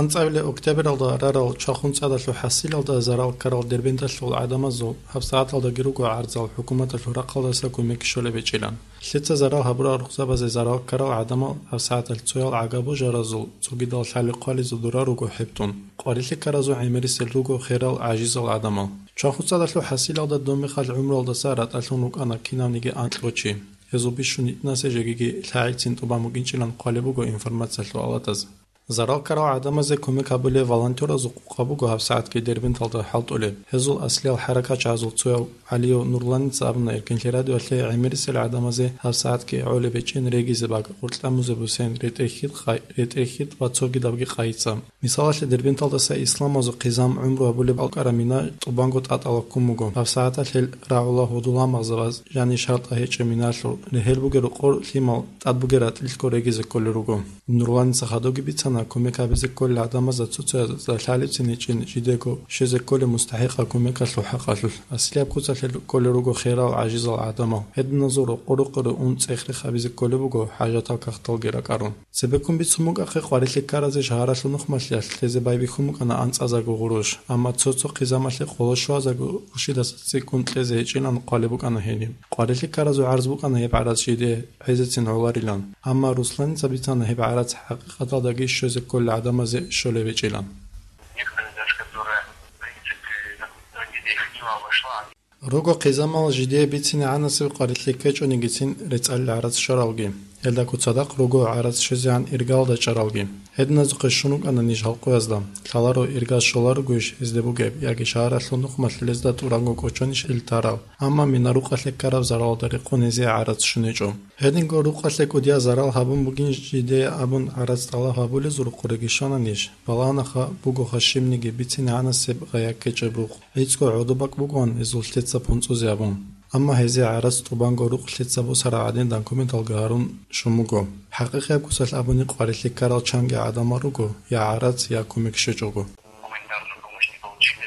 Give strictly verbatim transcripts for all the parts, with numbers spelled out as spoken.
АнцӀабилеб октябралда рарал чвахун цӀадалъул хӀасилалда зарал ккарал Дербенталъул гӀадамазул гьабсагӀаталдаги руго гӀарзал хӀукуматалъул рахъалдаса кумек щолеб гьечӀилан. Лъица зарал гьабурал рукъзабазе зарал ккарал гӀадамал гьабсагӀаталъ цоял гӀага-божаразул, цогидал лъали-хъвализул дора руго хӀебтӀун. Къварилъи ккаразул гӀемерисел руго херал гӀажизал гӀадамал. Чвахун цӀадалъул хӀасилалда доб мехалъ гӀумруялдаса ратӀалъун рукӀана кинавниги анкьго чи. Гьезул бищун гьитӀинасе жегиги лъагӀелцин тӀубан букӀинчӀилан хъвалеб буго информациялъул алатаз. Зарал ккарал гӀадамазе кумек гьабулев волонтеразул къукъа буго гьабсагӀатги Дербенталда хӀалтӀулеб. Гьезул аслиял хӀаракатчагӀазул цояв ГӀалиев Нурланица абуна Эркенлъи радиоялъе гӀемерисел гӀадамазе гьабсагӀатги гӀолеб гьечӀин регизе бакӀ, гъоркьа музе бусен, ретӀел-хьитӀ къай-, ретӀел-хьитӀ ва цогидабги къайица. Мисалалъе, Дербенталдаса Исламазул хъизан гӀумру гьабулеб алкӀкӀараб мина тӀубанго тӀатӀала ккун буго. ГьабсагӀаталъ гьел рагӀула гьудул-гьамагъзабаз жанир-шартӀал гьечӀеб миналъул, регьел бугел рокъор лъимал, тӀад бугел ратӀлилъго регизе кколел руго. Нурланица хадубги бицана, кумек гьабизе кколел гӀадамазда цоцазда лъалебцин гьечӀин жидего щвезе кколеб мустахӀикъаб кумекалъул хӀакъалъулъ. Аслияб куцалъе кколел руго херал гӀажизал гӀадамал. Гьединазул рокъор-рокъоре ун цӀех-рех гьабизе кколеб буго хӀажатал кагъталги ракӀарун. Цебеккун бицун букӀахъе къварилъи ккаразе шагьаралъул нухмалъиялъ лъезе байбихьун букӀана анцӀазарго гъурущ, амма цо-цо хъизамалъе къоло щуазарго рушидаса цӀикӀкӀун кьезе гьечӀилан хъвалеб букӀана гьениб. Къварилъи ккаразул гӀарз букӀана гьеб гӀарац жидее гӀезецин гӀоларилан, амма Русланица бицана гьеб гӀарац хӀакъикъаталдаги щвезе кколел гӀадамазе щолеб гьечӀилан. Некоторые даже, которые, в принципе, на протяжении десяти дней обошла, Руго хъизамал жидее бицинегӀанасеб къварилъи ккечӀонигицин рецӀалил гӀарац щваралги. Гьелдагу цадахъ руго гӀарац щвезегӀан иргалда чӀаралги. Гьединазухъе щун рукӀана ниж гьалкъуязда. Лъаларо иргаз щоларогойищ гьезде бугеб, яги шагьаралъул нухмалъ лезда тӀуранго кӀочонищ гьел тарал. Амма мина рукъалъе ккараб заралалда рекъон гьезие гӀарац щун гьечӀо. Гьединго рукъалъе кӀудияб зарал гьабун бугин жидее абун гӀарац тӀалаб гьабулезул рукъореги щвана ниж. Балагьанаха бугоха щибниги бицинегӀанасеб гъая ккечӀеб рукъ. ГӀицӀго гӀодобакӀ бугоан гьезул лъеца пунцӀузе абун. Амма гьезие гӀарац тӀубанго рукъ лъеца босараб гӀадин документалги гьарун щун буго. ХӀакъикъияб куцалъ абуни къварилъи ккарал чанги гӀадамал руго, я гӀарац, я кумек щвечӀого. Гуманитарную помощь не получили.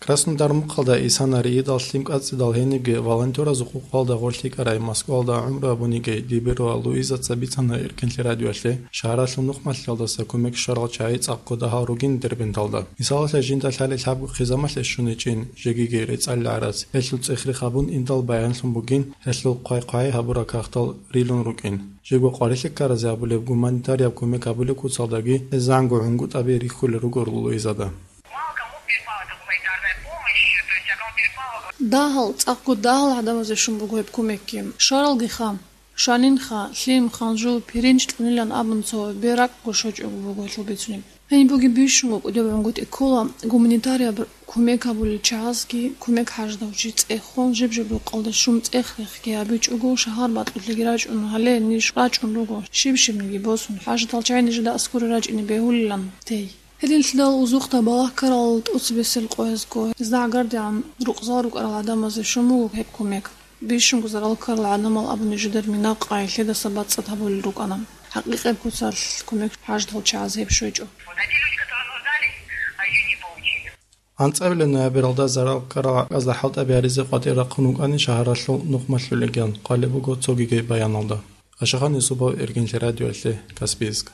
Краснодар мухъалда Исана риидал лъим кӀацӀидал гьенибги волонтеразул къукъалда гъорлъ йикӀарай Москвалда гӀумру гьабуниги Дибирова Луизаца бицана Эркенлъи радиоялъе, шагьаралъул нухмалъиялдаса кумек щварал чагӀи цӀакъго дагьал ругин Дербенталда. Мисалалъе, жинда лъали лъабго хъизамалъе щун гьечӀин, жегиги рецӀалил гӀарац, гьелъул цӀех-рех гьабун индал баянлъун бугин, гьелъул хъвай-хъвай гьабурал кагътал рилун рукӀин. Жего къварилъи ккаразе абулеб гуманитарияб кумек гьабулеб куцалдаги гьез зангу гӀунгутӀаби рихьулел руго Луизада. Мало кому перепала эта гуманитарная помощь, то есть, а кому перепала, вот. Дагьал, цӀакъго дагьал гӀадамазе щун буго гьеб кумекги. Щваралгиха, щванинха, лъим, ханжу, пиринч кьунилан абун цо беракӀго щочӀого буго гьелъул бицунеб. Гьаниб бугеб бищун букӀунеб гӀунгутӀи ккола, гуманитарияб кумек гьабулел чагӀазги, кумек хӀаждав чи цӀехун, жиб-жиб рукъалда щун цӀех-рехги гьабичӀого, шагьар бакьулъеги рачӀун, гьале ниж рачӀун руго, щиб-щибниги босун, хӀажатал чагӀи нижеда аскӀоре рачӀине бегьулилан тей. Гьединлъидал узухъда балагь ккарал тӀоцебесел къоязго, гьезда гӀагардегӀан рукъзал рукӀарал гӀадамазе щун буго гьеб кумек. Бищунго зарал ккарал гӀадамал абуни жидер мина къай лъедаса бацӀцӀад гьабулел рукӀана. ХӀакъикъияб куцалъ кумек хӀажатал чагӀаз гьеб щвечӀо. АнцӀабилеб ноябралда зарал ккарал гӀакъазда хӀалтӀаби гьаризе къватӀир рахъун вукӀани шагьаралъул нухмалъулиган хъвалеб буго цогиги баяналда. Ашахан Юсупов, Эркенлъи радиоялъе, Каспийск.